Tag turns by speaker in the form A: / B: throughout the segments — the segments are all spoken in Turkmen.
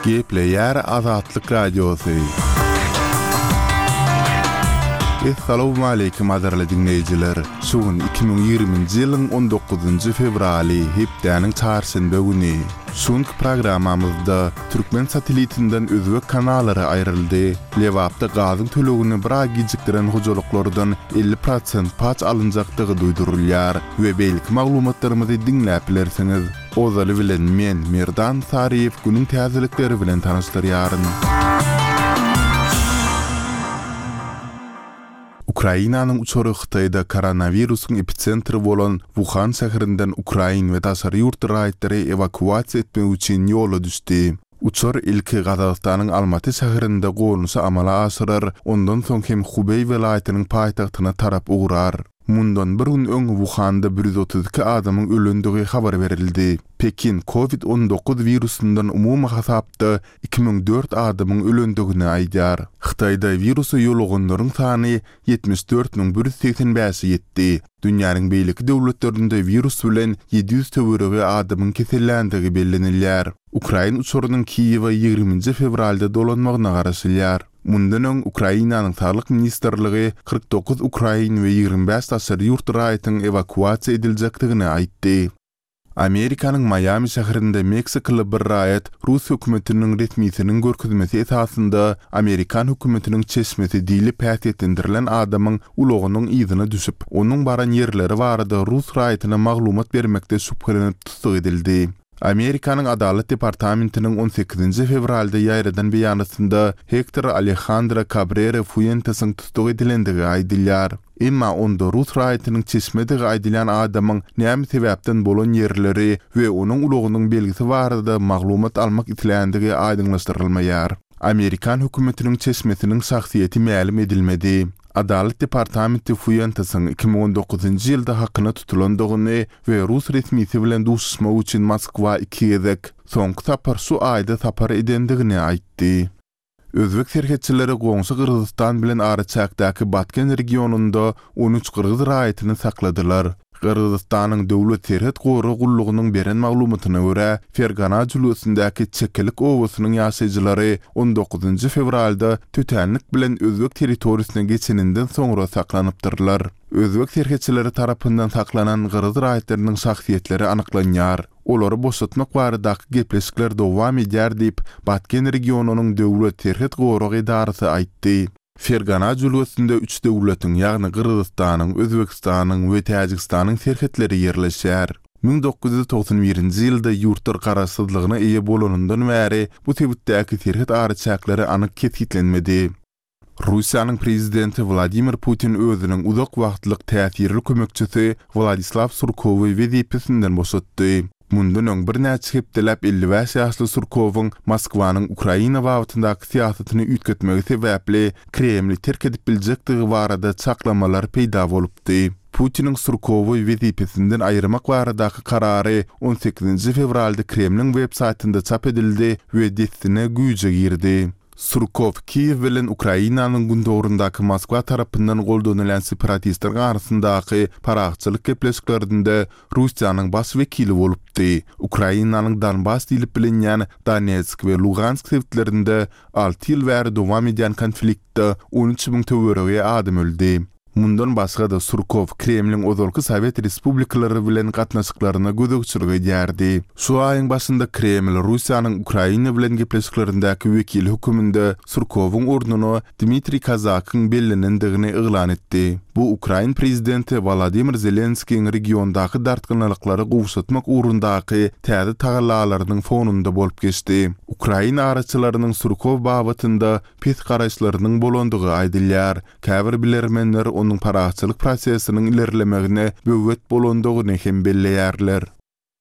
A: Gepleýär Azatlyk Radiosy. Essalawmaleýkim gadyrly diňleýjiler! Şu gün 2020-nji ýylyň 19-njy fewraly, hepdäniň çarşenbe güni. Şu günki programmamyzda türkmen satelitinden özbek kanallary aýryldy. Lebapda gazyň tölegini bir aý gijikdiren hojalyklardan 50 prosent paç alynjakdygy duýdurylýar we beýleki maglumatlarymyzy diňläp bilersiňiz. Ozaly bilen men, Merdan Saryýew günüň täzelikleri bilen tanyşdyrýaryn. Ukrainanyň uçary Hytaýda koronawirusyň episentri bolan Wuhan şäherinden ukrain we daşary ýurt raýatlary ewakuasiýa etmek üçin ýola düşdi. Uçar ilki Gazagystanyň Almaty şäherinde gonuşy amala aşyrar, ondan soň hem Hubeý welaýatynyň paýtagtyna tarap ugrar. Mundan bir gün öň Wuhanda 132 adamyň ölendigi habar berildi. Pekin Covid 19 wirusyndan umumy hasapda 2004 adamyň ölendigini aýdýar. Hytaýda wirusa ýoluganlaryň sany 74 185-e ýetdi. Dünýäniň beýleki döwletlerinde wirus bilen 700 töweregi adamyň keselländigi bellenilýär. Ukrain uçarynyň Kiýewe ýigriminji fewralda dolanmagyna garaşylýar. Mundan öň Ukrainanyň Saglyk ministrligi 49 ukrain we 25 daşary ýurt raýatyň ewakuasiýa ediljekdigini aýtdy. Amerikanyň Maýami şäherinde meksikaly bir raýat rus hökümetiniň resmisiniň görkezmesi esasynda amerikan hökümetiniň çeşmesi diýlip häsiýetlendirilen adamyň ulagynyň yzyna düşüp, onuň baran ýerleri barada rus raýatyna maglumat bermekde şübhelenip tussag edildi. Amerikanyň Adalat departamentiniň on sekizinji fewralda ýaýradan beýanatynda Hektor Alehandro Kabrera Fuentesiň tussag edilendigi aýdylýar. Emma onda rus raýatynyň çeşmedigi aýdylýan adamyň näme sebäpden bolan ýerleri we onuň ulagynyň belgisi barada maglumat almak isländigi aýdyňlaşdyrylmaýar. Amerikan hökümetiniň çeşmesiniň şahsyýeti mälim edilmedi. Adalat departamenti Fuentesiň 2019-njy ýylda hakyna tutulandygyny we rus resmisi bilen duşuşmak üçin Moskwa iki gezek, soňky sapar şu aýda sapar edendigini aýtdy. Özbek serhetçileri goňşy Gyrgyzystan bilen araçäkdäki Batken regionynda 13 gyrgyz raýatyny sakladylar. Gyrgyzystanyň Döwlet serhet gorag gullugynyň beren maglumatyna görä, Fergana jülgesindäki Çekelik obasynyň ýaşaýjylary on dokuzynjy fewralda tötänlik bilen özbek territoriýasyna geçeninden soňra saklanypdyrlar. Özbek serhetçileri tarapyndan saklanan gyrgyz raýatlarynyň şahsyýetleri anyklanýar. Olary boşatmak baradaky gepleşikler dowam edýär diýip, Batken regionynyň Döwlet serhet gorag edarasy aýtdy. Fergana jülgesinde üç döwletiň, ýagny Gyrgyzystanyň, Özbegistanyň we Täjigistanyň serhetleri ýerleşýär. 1991-nji ýylda ýurtlar garaşsyzlygyna eýe bolanyndan bäri bu sebitdäki serhet araçäkleri anyk kesgitlenmedi. Russiýanyň prezidenti Wladimir Putin özüniň uzak wagtlyk täsirli kömekçisi Wladislaw Surkowy wezipesinden boşatdy. Mundan öň birnäçe hepdeläp 55 ýaşly Surkowyň Moskwanyň Ukraina babatyndaky syýasatyny üýtgetmegi sebäpli Kremli terk edip biljekdigi barada çaklamalar peýda bolupdy. Putiniň Surkowy wezipesinden aýyrmak baradaky karary on sekizinji fewralda Kremliň web-saýtynda çap edildi we dessine güýje girdi. Surkow Kiýew bilen Ukrainanyň gündogaryndaky Moskwa tarapyndan goldanylýan separatistleriň arasyndaky parahatçylyk gepleşiklerinde Russiýanyň baş wekili bolupdy. Ukrainanyň Donbas diýlip bilinýän Donetsk we Lugansk sebitlerinde alty ýyl bäri dowam edýän konfliktde 13 müň töweregi adam öldi. Mundan başga-da, Surkow Kremliň ozalky sowet respublikalary bilen gatnaşyklaryna gözegçilik edýärdi. Şu aýyň başynda Kreml Russiýanyň Ukraina bilen gepleşiklerindäki wekili höküminde Surkowyň ornuna Dmitriý Kozakyň bellenendigini yglan etdi. Bu ukrain prezidenti Wolodymyr Zelenskiýiň regiondaky dartgynlylyklary gowşatmak ugrundaky täze tagallalarynyň fonunda bolup geçdi. Ukrain araçylarynyň Surkow babatynda pes garaýyşlarynyň bolandygy aýdylýar. Käbir bilermenler onuň parahatçylyk prosesiniň ilerlemegine böwet bolandygyny hem belleýärler.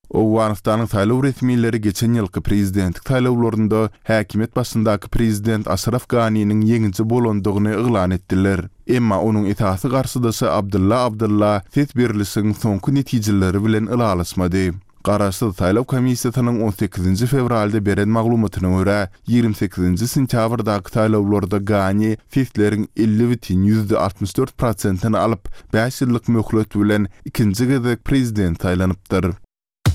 A: Owganystanyň saýlaw resmileri geçen ýylky prezidentlik saýlawlarynda häkimiýet başyndaky prezident Aşraf Ganiniň ýeňiji bolandygyny yglan etdiler. Emma onuň esasy garşydaşy Abdylla Abdylla ses berlişigiň soňky netijeleri bilen ylalaşmady. Garaşsyz saýlaw komissiýasynyň on sekizinji fewralda beren maglumatyna görä, 28-nji sentýabrdaky saýlawlarda Gani sesleriň 50,64 prosentini alyp, bäş ýyllyk möhlet bilen ikinji gezek prezident saýlanypdyr.